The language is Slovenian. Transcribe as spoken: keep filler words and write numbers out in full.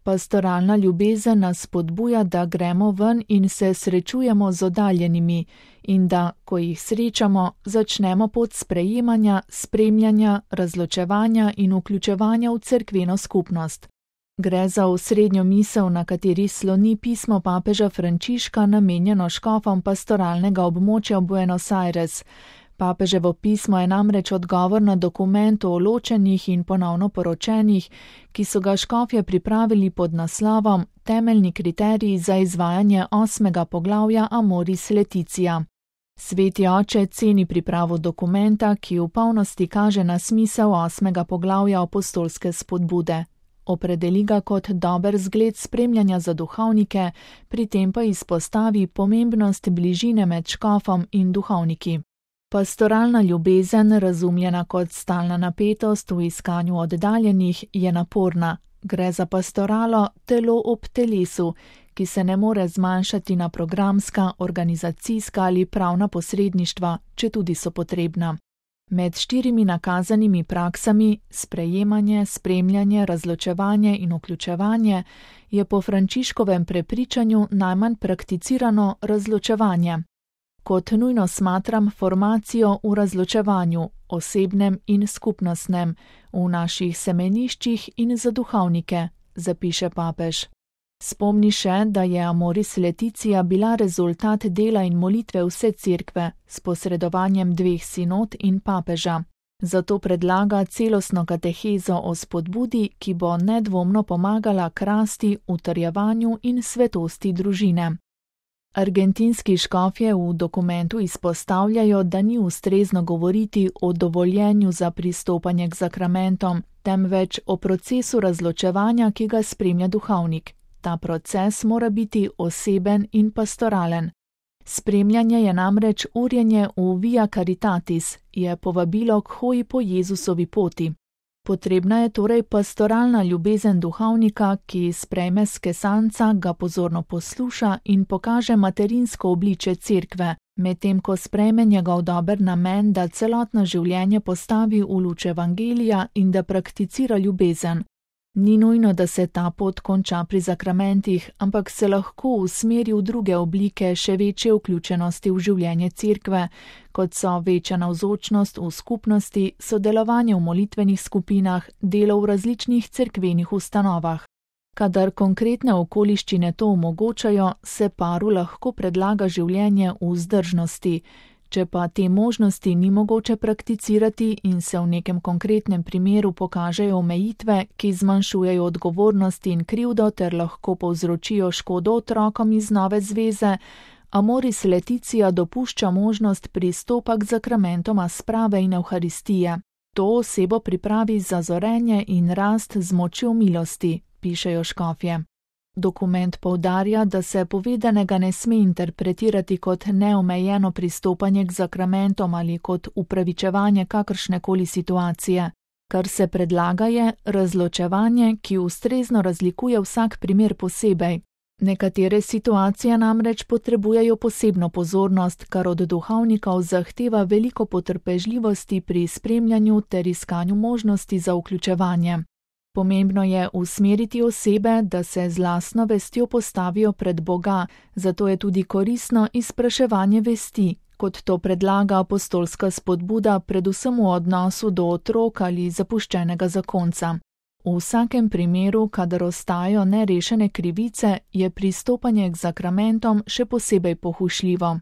Pastoralna ljubezen nas spodbuja, da gremo ven in se srečujemo z oddaljenimi in da, ko jih srečamo, začnemo pot sprejemanja, spremljanja, razločevanja in vključevanja v cerkveno skupnost. Gre za osrednjo misel, na kateri sloni pismo papeža Frančiška, namenjeno škofom pastoralnega območja Buenos Aires. Papeževo pismo je namreč odgovor na dokument o ločenih in ponovno poročenih, ki so ga škofje pripravili pod naslovom Temeljni kriteriji za izvajanje osmega poglavja Amoris Laetitia. Sveti oče ceni pripravo dokumenta, ki v polnosti kaže na smisel osmega poglavja apostolske spodbude. Opredeli ga kot dober zgled spremljanja za duhovnike, pri tem pa izpostavi pomembnost bližine med škofom in duhovniki. Pastoralna ljubezen, razumljena kot stalna napetost v iskanju oddaljenih, je naporna. Gre za pastoralo telo ob telesu, ki se ne more zmanjšati na programska, organizacijska ali pravna posredništva, četudi so potrebna. Med štirimi nakazanimi praksami, sprejemanje, spremljanje, razločevanje in vključevanje, je po Frančiškovem prepričanju najmanj prakticirano razločevanje. Kot nujno smatram formacijo v razločevanju, osebnem in skupnostnem, v naših semeniščih in za duhovnike, zapiše papež. Spomni še, da je Amoris Laetitia bila rezultat dela in molitve vse cerkve s posredovanjem dveh sinod in papeža. Zato predlaga celostno katehezo o spodbudi, ki bo nedvomno pomagala k rasti, utrjevanju in svetosti družine. Argentinski škofje v dokumentu izpostavljajo, da ni ustrezno govoriti o dovoljenju za pristopanje k zakramentom, temveč o procesu razločevanja, ki ga spremlja duhovnik. Ta proces mora biti oseben in pastoralen. Spremljanje je namreč urjenje v via caritatis, je povabilo k hoji po Jezusovi poti. Potrebna je torej pastoralna ljubezen duhovnika, ki sprejme skesanca, ga pozorno posluša in pokaže materinsko obličje cerkve, medtem ko sprejme njegov dober namen, da celotno življenje postavi v luč evangelija in da prakticira ljubezen. Ni nujno, da se ta pot konča pri zakramentih, ampak se lahko usmeri v druge oblike še večje vključenosti v življenje cerkve, kot so večja navzočnost v skupnosti, sodelovanje v molitvenih skupinah, delo v različnih cerkvenih ustanovah. Kadar konkretne okoliščine to omogočajo, se paru lahko predlaga življenje v vzdržnosti. Če pa te možnosti ni mogoče prakticirati in se v nekem konkretnem primeru pokažejo omejitve, ki zmanjšujejo odgovornost in krivdo ter lahko povzročijo škodo otrokom iz nove zveze, Amoris Laetitia dopušča možnost pristopa k zakramentoma sprave in evharistije. To osebo pripravi za zorenje in rast z močjo milosti, pišejo škofje. Dokument poudarja, da se povedanega ne sme interpretirati kot neomejeno pristopanje k zakramentom ali kot upravičevanje kakršnekoli situacije. Kar se predlaga je razločevanje, ki ustrezno razlikuje vsak primer posebej. Nekatere situacije namreč potrebujejo posebno pozornost, kar od duhovnikov zahteva veliko potrpežljivosti pri spremljanju ter iskanju možnosti za vključevanje. Pomembno je usmeriti osebe, da se z lastno vestjo postavijo pred Boga, zato je tudi koristno izpraševanje vesti, kot to predlaga apostolska spodbuda predvsem v odnosu do otrok ali zapuščenega zakonca. V vsakem primeru, kadar ostajajo nerešene krivice, je pristopanje k zakramentom še posebej pohušljivo.